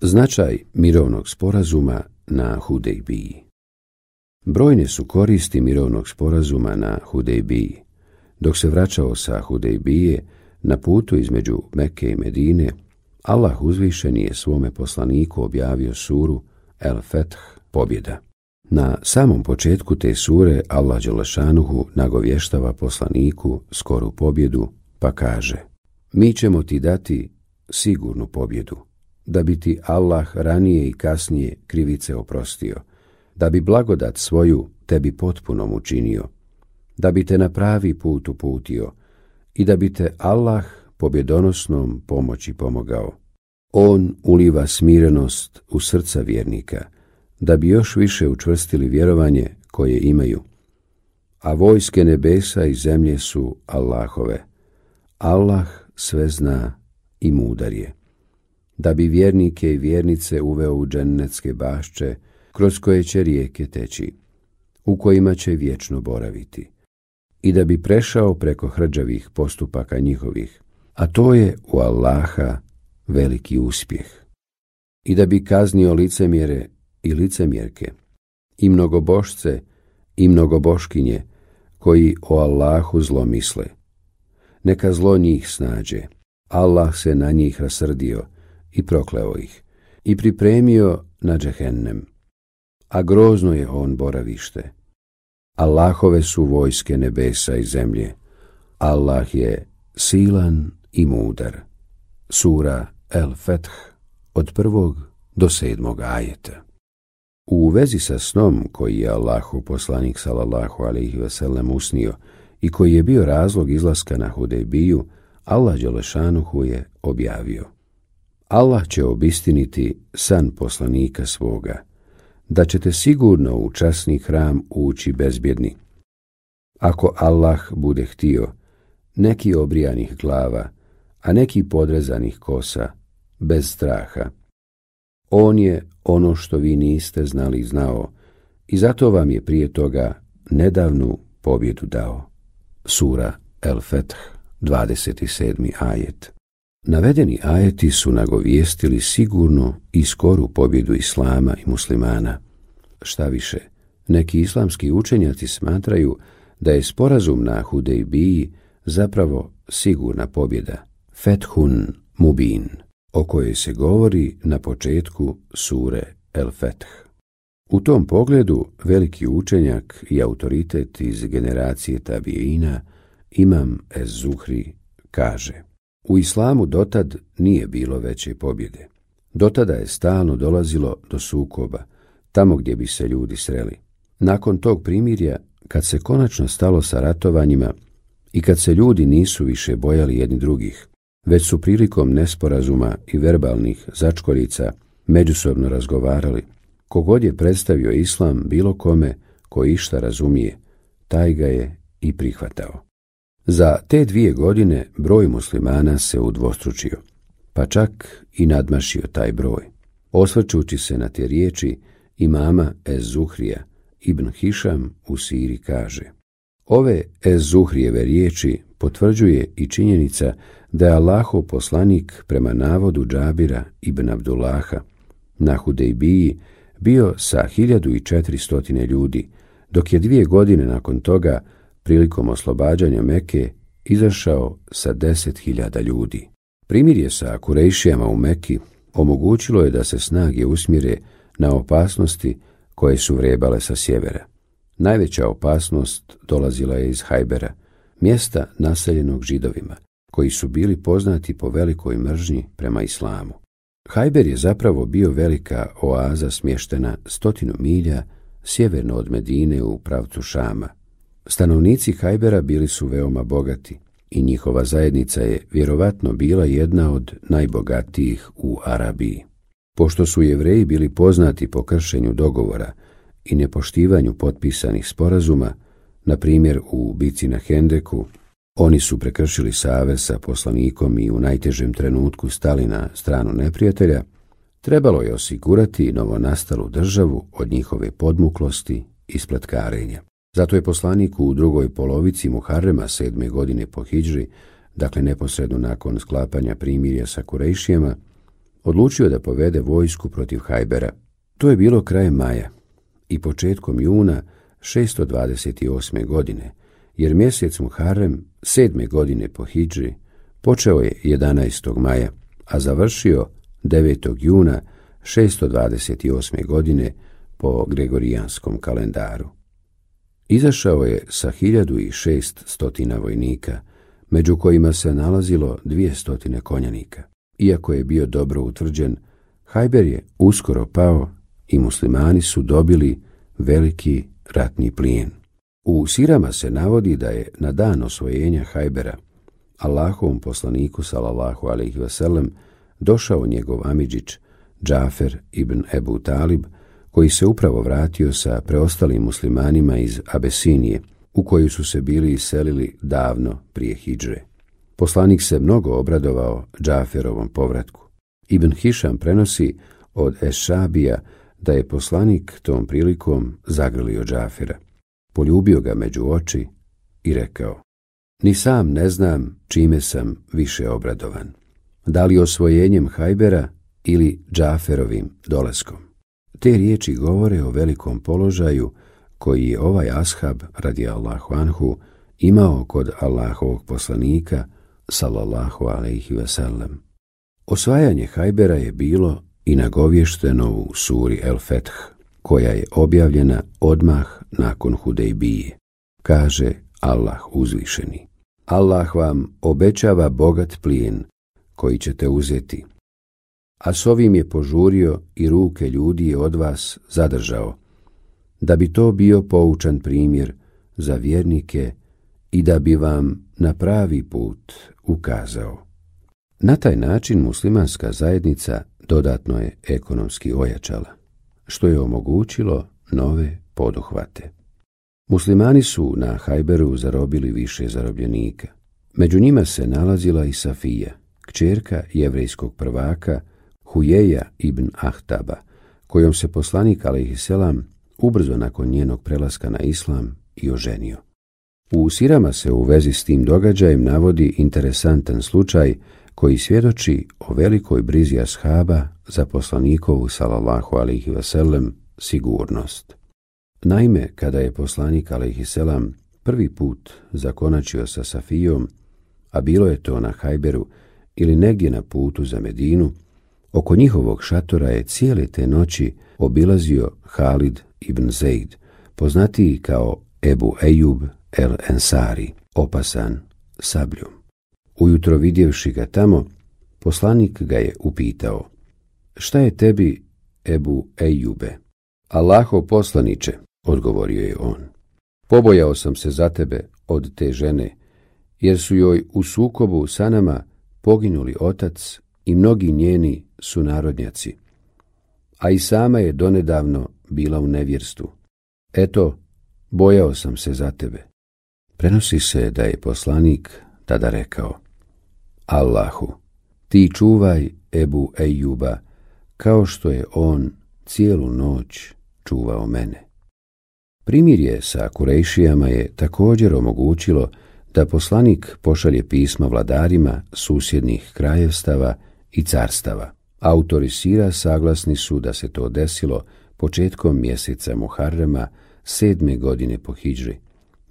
Značaj mirovnog sporazuma na Hudejbiji. Brojne su koristi mirovnog sporazuma na Hudejbiji. Dok se vraćao sa Hudejbije, na putu između Mekke i Medine, Allah uzvišeni je svome poslaniku objavio suru El Feth, pobjeda. Na samom početku te sure Allah dželešanuhu nagovještava poslaniku skoru pobjedu, pa kaže: Mi ćemo ti dati sigurnu pobjedu, da bi ti Allah ranije i kasnije krivice oprostio, da bi blagodat svoju tebi potpunom učinio, da bi te na pravi put uputio i da bi te Allah pobjedonosnom pomoći pomogao. On uliva smirenost u srca vjernika, da bi još više učvrstili vjerovanje koje imaju. A vojske nebesa i zemlje su Allahove. Allah sve zna i mudar je. Da bi vjernike i vjernice uveo u džennetske bašče, kroz koje će rijeke teći, u kojima će vječno boraviti, i da bi prešao preko hrđavih postupaka njihovih, a to je u Allaha veliki uspjeh, i da bi kaznio licemjere i licemjerke, i mnogobošce i mnogoboškinje, koji o Allahu zlo misle. Neka zlo njih snađe. Allah se na njih rasrdio i prokleo ih i pripremio na džehennem, a grozno je on boravište. Allahove su vojske nebesa i zemlje. Allah je silan i mudar. Sura El Feth od 1. do 7. ajeta. U vezi sa snom koji je Allahov poslanik sallallahu alejhi ve sellem usnio i koji je bio razlog izlaska na Hudejbiju, Allah dželešanuhu je objavio: Allah će obistiniti san poslanika svoga, da ćete sigurno u časni hram ući bezbjedni. Ako Allah bude htio, neki obrijanih glava, a neki podrezanih kosa, bez straha. On je ono što vi niste znali znao i zato vam je prije toga nedavnu pobjedu dao. Sura El Feth, 27. ajet. Navedeni ajeti su nagovijestili sigurnu i skoru pobjedu islama i muslimana. Šta više, neki islamski učenjaci smatraju da je sporazum na Hudejbiji zapravo sigurna pobjeda, Fethun Mubin, o kojoj se govori na početku sure El Feth. U tom pogledu veliki učenjak i autoritet iz generacije tabiina, Imam Ez-Zuhri, kaže: U islamu dotad nije bilo veće pobjede. Dotada je stalno dolazilo do sukoba, tamo gdje bi se ljudi sreli. Nakon tog primirja, kad se konačno stalo sa ratovanjima i kad se ljudi nisu više bojali jedni drugih, već su prilikom nesporazuma i verbalnih začkoljica međusobno razgovarali, kogod je predstavio islam bilo kome ko išta razumije, taj ga je i prihvatao. Za te 2 godine broj muslimana se udvostručio, pa čak i nadmašio taj broj. Osvrćući se na te riječi imama Ez-Zuhrija, Ibn Hišam u Siri kaže: Ove Ez-Zuhrijeve riječi potvrđuje i činjenica da je Allahov poslanik prema navodu Džabira ibn Abdullaha na Hudejbiji bio sa 1400 ljudi, dok je 2 godine nakon toga, prilikom oslobađanja Mekke, izašao sa 10.000 ljudi. Primirje sa Kurejšijama u Mekki omogućilo je da se snage usmjere na opasnosti koje su vrebale sa sjevera. Najveća opasnost dolazila je iz Hajbera, mjesta naseljenog Židovima, koji su bili poznati po velikoj mržnji prema islamu. Hajber je zapravo bio velika oaza smještena 100 milja sjeverno od Medine u pravcu Šama. Stanovnici Hajbera bili su veoma bogati i njihova zajednica je vjerovatno bila jedna od najbogatijih u Arabiji. Pošto su Jevreji bili poznati po kršenju dogovora i nepoštivanju potpisanih sporazuma, na primjer u bici na Hendeku, oni su prekršili savez sa poslanikom i u najtežem trenutku stali na stranu neprijatelja, trebalo je osigurati novonastalu državu od njihove podmuklosti i spletkarenja. Zato je poslanik u drugoj polovici Muharrema 7. godine po hidžri, dakle neposredno nakon sklapanja primirja sa Kurejšijama, odlučio da povede vojsku protiv Hajbera. To je bilo krajem maja i početkom juna 628. godine, jer mjesec Muharrem 7. godine po hidži počeo je 11. maja, a završio 9. juna 628. godine po gregorijanskom kalendaru. Izašao je sa 1600 vojnika, među kojima se nalazilo 200 konjanika. Iako je bio dobro utvrđen, Hajber je uskoro pao i muslimani su dobili veliki ratni plijen. U sirama se navodi da je na dan osvojenja Hajbera Allahovom poslaniku sallallahu alejhi ve sellem došao njegov amidžić Džafer ibn Ebu Talib, koji se upravo vratio sa preostalim muslimanima iz Abesinije, u koju su se bili iselili davno prije hidžre. Poslanik se mnogo obradovao Džaferovom povratku. Ibn Hišam prenosi od Ešabija da je poslanik tom prilikom zagrlio Džafera, poljubio ga među oči i rekao: ni sam ne znam čime sam više obradovan, da li osvojenjem Hajbera ili Džaferovim dolaskom. Te riječi govore o velikom položaju koji je ovaj ashab radijallahu anhu imao kod Allahovog poslanika sallallahu alejhi ve sellem. Osvajanje Hajbera je bilo i nagovješteno u suri El Feth, koja je objavljena odmah nakon Hudejbije. Kaže Allah uzvišeni: Allah vam obećava bogat plijen koji ćete uzeti, a s ovim je požurio i ruke ljudi je od vas zadržao, da bi to bio poučan primjer za vjernike i da bi vam na pravi put ukazao. Na taj način muslimanska zajednica dodatno je ekonomski ojačala, što je omogućilo nove poduhvate. Muslimani su na Hajberu zarobili više zarobljenika. Među njima se nalazila i Safija, kćerka jevrejskog prvaka Hujeja ibn Ahtaba, kojom se poslanik alejhiselam ubrzo nakon njenog prelaska na islam i oženio. U sirama se u vezi s tim događajem navodi interesantan slučaj koji svjedoči o velikoj brizi ashaba za poslanikovu sallallahu alejhi ve sellem sigurnost. Naime, kada je poslanik alejhiselam prvi put zakonačio sa Safijom, a bilo je to na Hajberu ili negdje na putu za Medinu, oko njihovog šatora je cijele te noći obilazio Halid ibn Zeid, poznatiji kao Ebu Ejub el Ensari, opasan sabljom. Ujutro vidjevši ga tamo, poslanik ga je upitao: šta je tebi, Ebu Ejube? Allahov poslaniče, odgovorio je on, pobojao sam se za tebe od te žene, jer su joj u sukobu sa nama poginuli otac i mnogi njeni sunarodnjaci, a i sama je donedavno bila u nevjerstvu. Eto, bojao sam se za tebe. Prenosi se da je poslanik tada rekao: Allahu, ti čuvaj Ebu Ejuba kao što je on cijelu noć čuvao mene. Primirje sa Kurejšijama je također omogućilo da poslanik pošalje pisma vladarima susjednih krajevstava i carstava. Autori sira saglasni su da se to desilo početkom mjeseca Muharrema 7. godine po hidžri,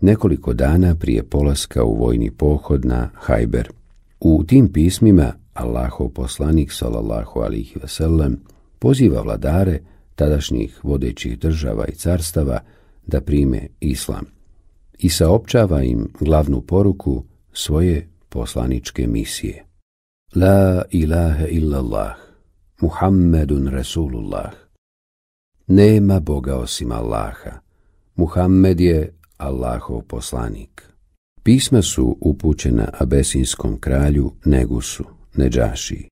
nekoliko dana prije polaska u vojni pohod na Hajber. U tim pismima Allahov poslanik sallallahu alejhi ve sellem poziva vladare tadašnjih vodećih država i carstava da prime islam i saopćava im glavnu poruku svoje poslaničke misije. La ilaha illallah, Muhammedun Rasulullah. Nema Boga osim Allaha, Muhammed je Allahov poslanik. Pisma su upućena abesinskom kralju Negusu, Nedžašiji,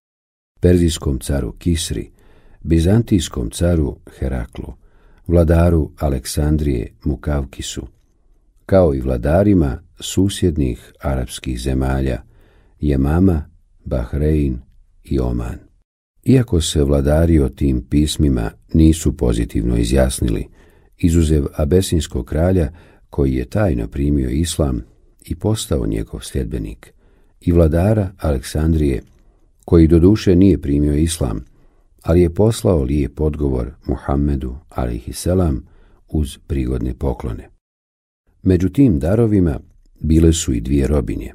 perzijskom caru Kisri, bizantijskom caru Heraklu, vladaru Aleksandrije Mukavkisu, kao i vladarima susjednih arapskih zemalja Jemama, Bahrein i Oman. Iako se vladari o tim pismima nisu pozitivno izjasnili, izuzev abesinskog kralja koji je tajno primio islam i postao njegov sljedbenik, i vladara Aleksandrije koji doduše nije primio islam, ali je poslao lijep odgovor Muhammedu a.s. uz prigodne poklone. Među tim darovima bile su i dvije robinje,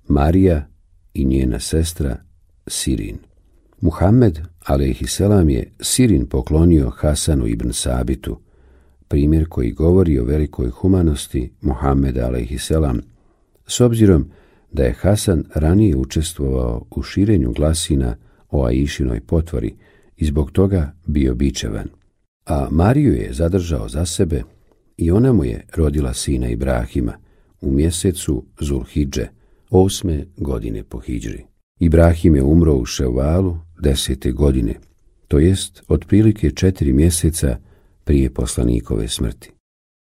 Marija i njena sestra Sirin. Muhammed a.s. je Sirin poklonio Hasanu ibn Sabitu, primjer koji govori o velikoj humanosti Muhammeda a.s. s obzirom da je Hasan ranije učestvovao u širenju glasina o Aišinoj potvori i zbog toga bio bičevan. A Mariju je zadržao za sebe i ona mu je rodila sina Ibrahima u mjesecu Zulhidže, 8. godine po hidžri. Ibrahim je umro u Ševalu 10. godine, to jest otprilike 4 mjeseca prije poslanikove smrti.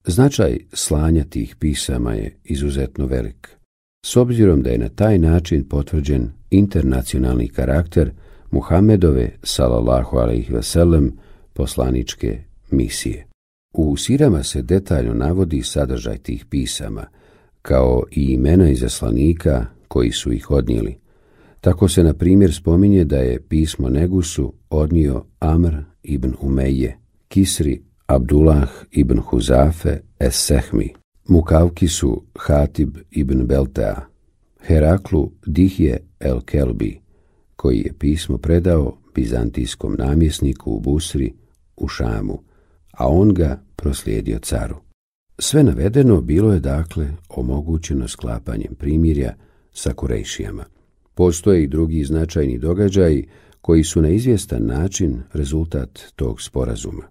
Značaj slanja tih pisama je izuzetno velik, s obzirom da je na taj način potvrđen internacionalni karakter Muhammedove sallallahu alejhi ve sellem poslaničke misije. U sirama se detaljno navodi sadržaj tih pisama, kao i imena izaslanika koji su ih odnijeli. Tako se, na primjer, spominje da je pismo Negusu odnio Amr ibn Umeje, Kisri Abdullah ibn Huzafe es-Sehmi, Mukavkisu Hatib ibn Beltea, Heraklu Dihje el-Kelbi, koji je pismo predao bizantijskom namjesniku u Busri u Šamu, a on ga proslijedio caru. Sve navedeno bilo je dakle omogućeno sklapanjem primirja sa Kurejšijama. Postoje i drugi značajni događaji koji su na izvjestan način rezultat tog sporazuma.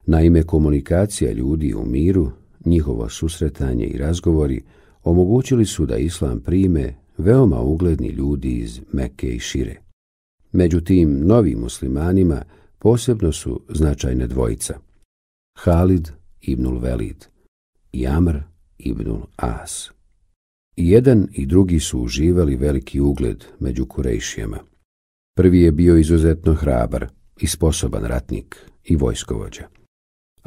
Naime, komunikacija ljudi u miru, njihovo susretanje i razgovori omogućili su da islam prime veoma ugledni ljudi iz Mekke i šire. Među tim novim muslimanima posebno su značajne dvojica, Halid ibnul Velid i Amr ibnul As. I jedan i drugi su uživali veliki ugled među Kurejšijama. Prvi je bio izuzetno hrabar i sposoban ratnik i vojskovođa,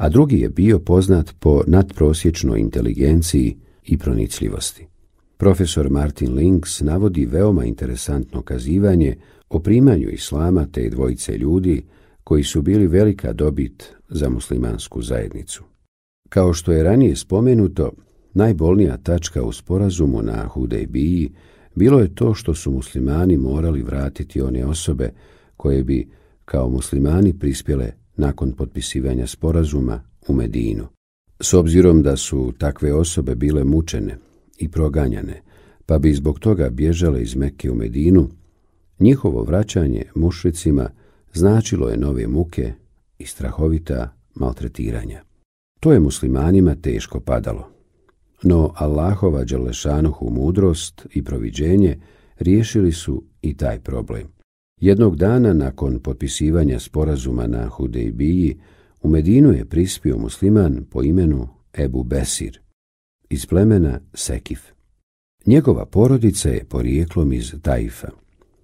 a drugi je bio poznat po nadprosječnoj inteligenciji i pronicljivosti. Profesor Martin Links navodi veoma interesantno kazivanje o primanju islama te dvojice ljudi koji su bili velika dobit za muslimansku zajednicu. Kao što je ranije spomenuto, najbolnija tačka u sporazumu na Hudejbiji bilo je to što su muslimani morali vratiti one osobe koje bi kao muslimani prispjele nakon potpisivanja sporazuma u Medinu. S obzirom da su takve osobe bile mučene i proganjane, pa bi zbog toga bježale iz Mekke u Medinu, njihovo vraćanje mušricima značilo je nove muke i strahovita maltretiranja. To je muslimanima teško padalo. No Allahova dželešanuhu mudrost i proviđenje riješili su i taj problem. Jednog dana nakon potpisivanja sporazuma na Hudejbiji u Medinu je prispio musliman po imenu Ebu Besir iz plemena Sekif. Njegova porodica je porijeklom iz Taifa,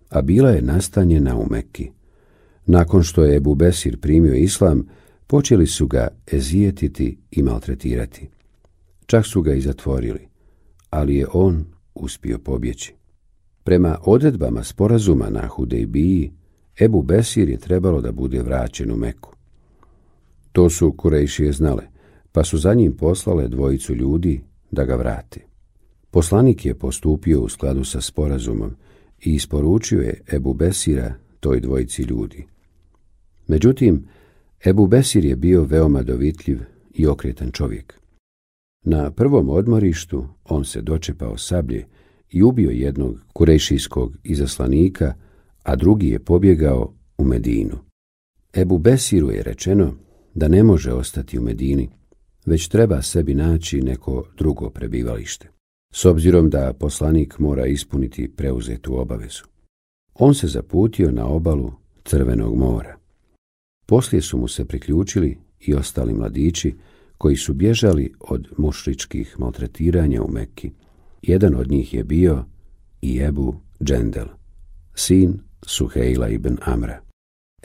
a bila je nastanjena u Mekki. Nakon što je Ebu Besir primio islam, počeli su ga ezijetiti i maltretirati. Čak su ga i zatvorili, ali je on uspio pobjeći. Prema odredbama sporazuma na Hudejbiji, Ebu Besir je trebalo da bude vraćen u Meku. To su Kurejšije znale, pa su za njim poslale dvojicu ljudi da ga vrate. Poslanik je postupio u skladu sa sporazumom i isporučio je Ebu Besira toj dvojici ljudi. Međutim, Ebu Besir je bio veoma dovitljiv i okretan čovjek. Na prvom odmorištu on se dočepao sablje i ubio jednog kurejšijskog izaslanika, a drugi je pobjegao u Medinu. Ebu Besiru je rečeno da ne može ostati u Medini, već treba sebi naći neko drugo prebivalište, s obzirom da poslanik mora ispuniti preuzetu obavezu. On se zaputio na obalu Crvenog mora. Poslije su mu se priključili i ostali mladići koji su bježali od mušričkih maltretiranja u Mekki. Jedan od njih je bio i Ebu Džendel, sin Suhejla ibn Amra.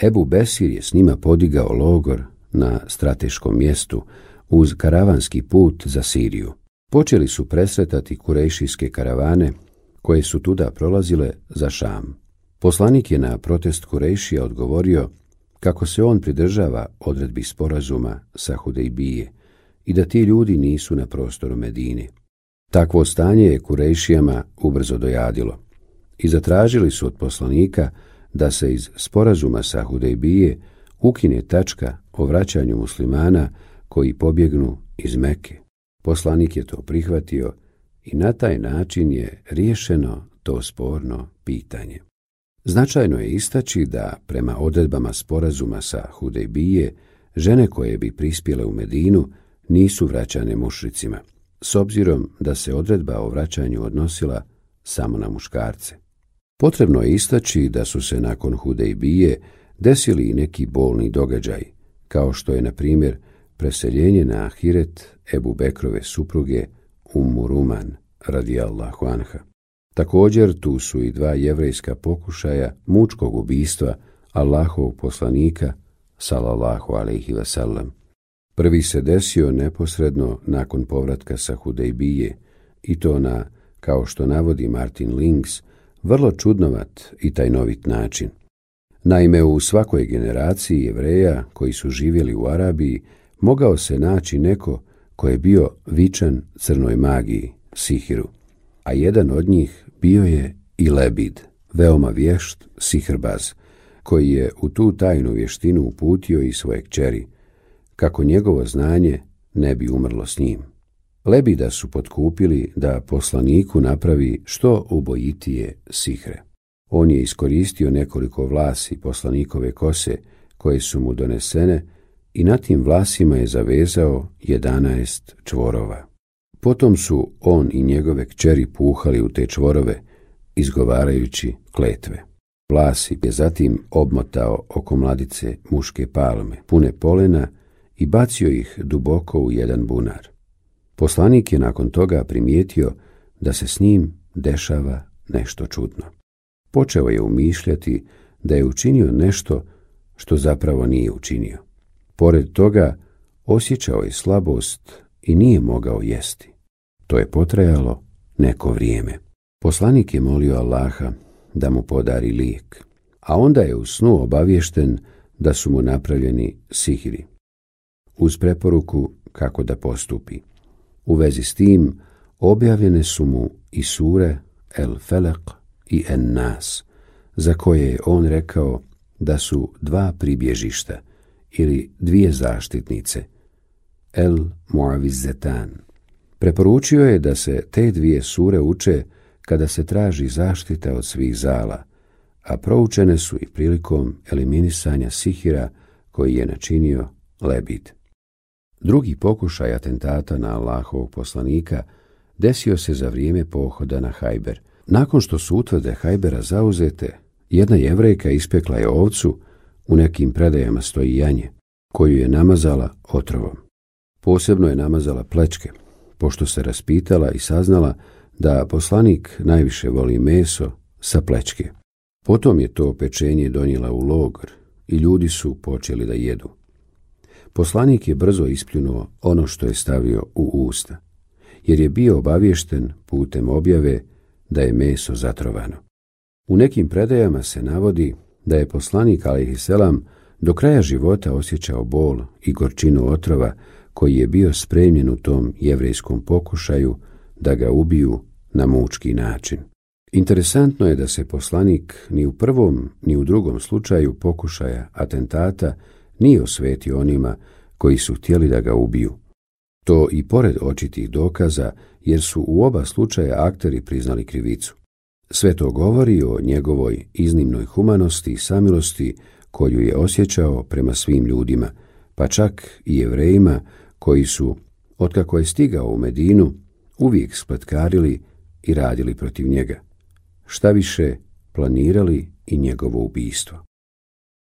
Ebu Besir je s njima podigao logor na strateškom mjestu uz karavanski put za Siriju. Počeli su presretati kurejšijske karavane koje su tuda prolazile za Šam. Poslanik je na protest Kurejšija odgovorio kako se on pridržava odredbi sporazuma sa Hudejbije i da ti ljudi nisu na prostoru Medine. Takvo stanje je Kurejšijama ubrzo dojadilo i zatražili su od poslanika da se iz sporazuma sa Hudejbije ukine tačka o vraćanju muslimana koji pobjegnu iz Mekke. Poslanik je to prihvatio i na taj način je riješeno to sporno pitanje. Značajno je istaći da prema odredbama sporazuma sa Hudejbije žene koje bi prispjele u Medinu nisu vraćane mušricima, s obzirom da se odredba o vraćanju odnosila samo na muškarce. Potrebno je istaći da su se nakon Hudejbije desili i neki bolni događaj, kao što je, na primjer, preseljenje na ahiret Ebu Bekrove supruge Ummu Ruman, radijallahu anha. Također tu su i 2 jevrejska pokušaja mučkog ubistva Allahovog poslanika, sallallahu alejhi ve sellem. Prvi se desio neposredno nakon povratka sa Hudejbije i to na, kao što navodi Martin Links, vrlo čudnovat i tajnovit način. Naime, u svakoj generaciji Jevreja koji su živjeli u Arabiji mogao se naći neko ko je bio vičan crnoj magiji, sihiru, a jedan od njih bio je i Lebid, veoma vješt sihrbaz, koji je u tu tajnu vještinu uputio i svoje kćeri, kako njegovo znanje ne bi umrlo s njim. Lebida su potkupili da poslaniku napravi što ubojitije sihre. On je iskoristio nekoliko vlasi poslanikove kose koje su mu donesene i na tim vlasima je zavezao 11 čvorova. Potom su on i njegove kćeri puhali u te čvorove, izgovarajući kletve. Vlas je zatim obmotao oko mladice muške palme, pune polena, i bacio ih duboko u jedan bunar. Poslanik je nakon toga primijetio da se s njim dešava nešto čudno. Počeo je umišljati da je učinio nešto što zapravo nije učinio. Pored toga, osjećao je slabost i nije mogao jesti. To je potrajalo neko vrijeme. Poslanik je molio Allaha da mu podari lijek, a onda je u snu obaviješten da su mu napravljeni sihiri, uz preporuku kako da postupi. U vezi s tim objavljene su mu i sure El Felek i En Nas, za koje je on rekao da su 2 pribježišta ili 2 zaštitnice, El Muavizetan. Preporučio je da se te 2 sure uče kada se traži zaštita od svih zala, a proučene su i prilikom eliminisanja sihira koji je načinio Lebid. Drugi pokušaj atentata na Allahovog poslanika desio se za vrijeme pohoda na Hajber. Nakon što su utvrde Hajbera zauzete, jedna Jevrejka ispekla je ovcu, u nekim predajama stoji janje, koju je namazala otrovom. Posebno je namazala plečke, pošto se raspitala i saznala da poslanik najviše voli meso sa plečke. Potom je to pečenje donijela u logor i ljudi su počeli da jedu. Poslanik je brzo ispljunuo ono što je stavio u usta, jer je bio obaviješten putem objave da je meso zatrovano. U nekim predajama se navodi da je poslanik alejhiselam do kraja života osjećao bol i gorčinu otrova koji je bio spremljen u tom jevrejskom pokušaju da ga ubiju na mučki način. Interesantno je da se poslanik ni u prvom ni u drugom slučaju pokušaja atentata nije osvetio onima koji su htjeli da ga ubiju. To i pored očitih dokaza, jer su u oba slučaja akteri priznali krivicu. Sve to govori o njegovoj iznimnoj humanosti i samilosti koju je osjećao prema svim ljudima, pa čak i Jevrejima koji su, otkako je stigao u Medinu, uvijek spletkarili i radili protiv njega. Šta više, planirali i njegovo ubistvo.